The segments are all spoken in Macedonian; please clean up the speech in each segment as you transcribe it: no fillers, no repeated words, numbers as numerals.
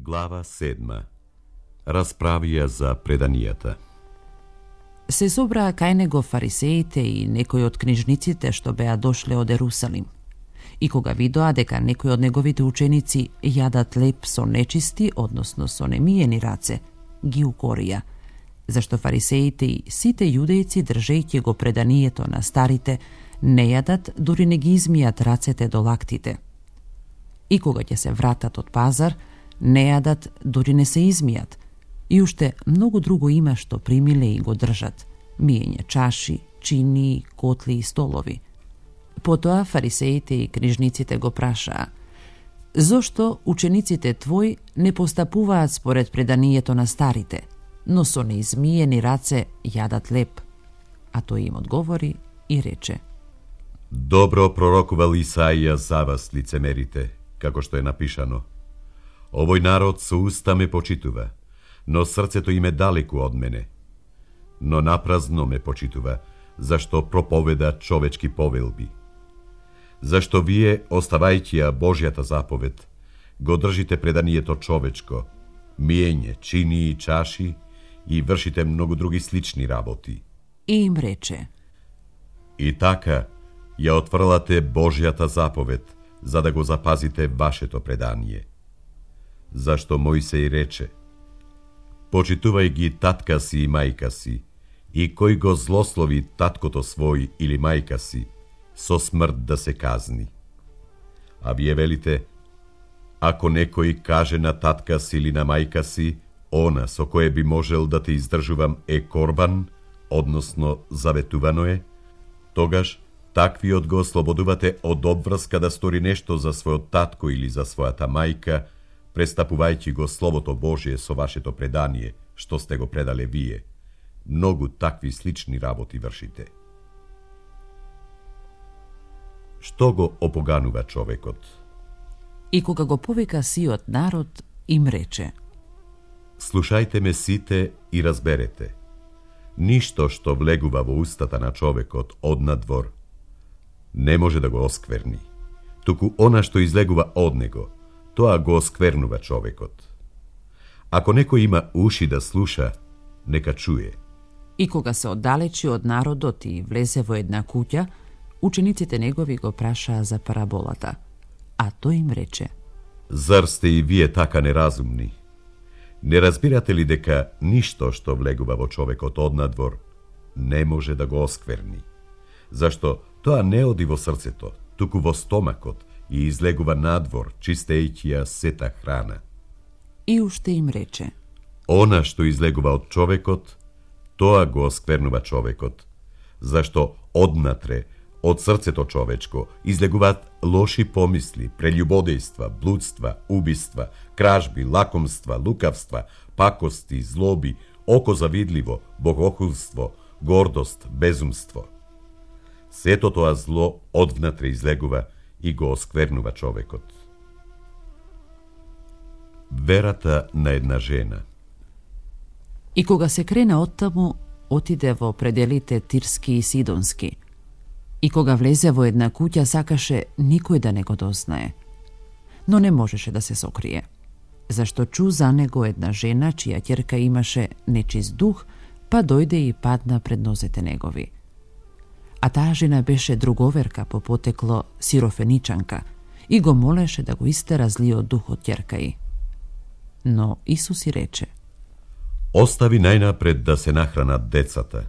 Глава 7. Расправија за преданијата. Се собраа кај него фарисеите и некои од книжниците што беа дошле од Ерусалим. И кога видоа дека некои од неговите ученици јадат леп со нечисти, односно со немиени раце, ги укорија, зашто фарисеите и сите јудејци, држејќи го преданието на старите, не јадат, дури не ги измијат рацете до лактите. И кога ќе се вратат од пазар, не јадат, дури не се измијат. И уште многу друго има што примиле и го држат. Миење чаши, чини, котли и столови. Потоа фарисеите и книжниците го прашаа: зошто учениците твои не постапуваат според преданието на старите, но со неизмиени раце јадат леп? А тој им одговори и рече: Добро пророкувал Исаија за вас, лицемерите, како што е напишано: Овој народ со уста ме почитува, но срцето им е далеку од мене. Но напразно ме почитува, зашто проповеда човечки повелби. Зашто вие, оставајќи ја Божјата заповед, го држите преданието човечко, миење, чини и чаши и вршите многу други слични работи. И им рече: И така ја отврлате Божјата заповед, за да го запазите вашето предание. Зашто Мојсеј рече: Почитувај ги татка си и мајка си, и кој го злослови таткото свој или мајка си, со смрт да се казни. А вие велите: Ако некој каже на татка си или на мајка си: Она со кое би можел да те издржувам е корбан, односно заветувано е, тогаш таквиот го ослободувате од обврска да стори нешто за својот татко или за својата мајка, престапувајќи го Словото Божие со вашето предание, што сте го предале вие. Многу такви слични работи вршите. Што го опоганува човекот? И кога го повика сиот народ, им рече: Слушајте ме сите и разберете. Ништо што влегува во устата на човекот однадвор не може да го оскверни, туку она што излегува од него, тоа го осквернува човекот. Ако некој има уши да слуша, нека чуе. И кога се оддалечи од народот и влезе во една куќа, учениците негови го прашаа за параболата, а тој им рече: Зар сте и вие така неразумни? Не разбирате ли дека ништо што влегува во човекот однадвор не може да го оскверни? Зашто тоа не оди во срцето, туку во стомакот и излегува надвор, чистејќи ја сета храна. И уште им рече: Она што излегува од човекот, тоа го осквернува човекот, зашто однатре, од срцето човечко, излегуваат лоши помисли, прелюбодејства, блудства, убиства, кражби, лакомства, лукавства, пакости, злоби, око завидливо, богохулство, гордост, безумство. Сето тоа зло одвнатре излегува и го осквернува човекот. Верата на една жена. И кога се крена оттаму, отиде во пределите Тирски и Сидонски. И кога влезе во една куќа, сакаше никој да не го дознае. Но не можеше да се сокрие, зашто чу за него една жена, чија ќерка имаше нечист дух, па дојде и падна пред нозете негови. А таа жена беше друговерка по потекло сирофеничанка и го молеше да го истера злиот дух од ќерка ѝ. Но Исус и рече: Остави најнапред да се нахранат децата,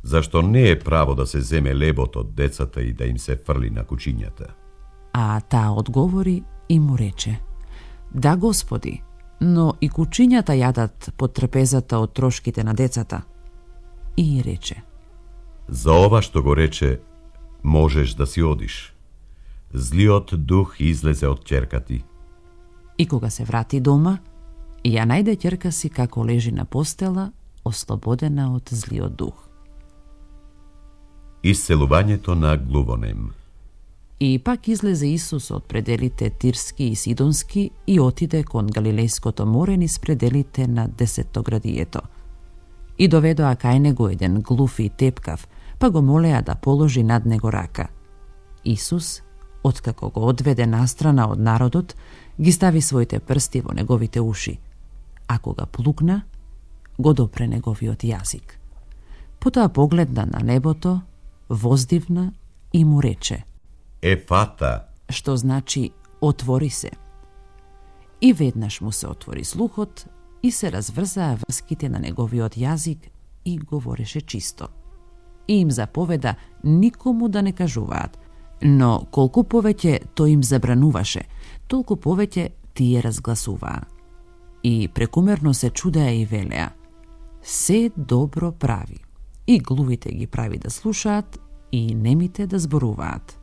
зашто не е право да се земе лебот од децата и да им се фрли на кучињата. А таа одговори и му рече: Да, Господи, но и кучињата јадат под трпезата од трошките на децата. И рече: За ова што го рече, можеш да си одиш. Злиот дух излезе од ќерка ти. И кога се врати дома, ја најде ќерка си како лежи на постела, ослободена од злиот дух. Исцелувањето на глувонем. И пак излезе Исус од пределите Тирски и Сидонски и отиде кон Галилејското море низ пределите на Десеттоградието. И доведоа кај него еден глув и тепкав, па го молеа да положи над него рака. Исус Откако го одведе настрана од народот, ги стави своите прсти во неговите уши, а кога плукна, го допре неговиот јазик. Потоа погледна на небото, воздивна и му рече: Ефата, што значи отвори се. И веднаш му се отвори слухот и се разврзаа врските на неговиот јазик и говореше чисто. И им заповеда никому да не кажуваат, но колку повеќе тој им забрануваше, толку повеќе тие разгласуваа. И прекумерно се чудеа и велеа: се добро прави. И глувите ги прави да слушаат, и немите да зборуваат.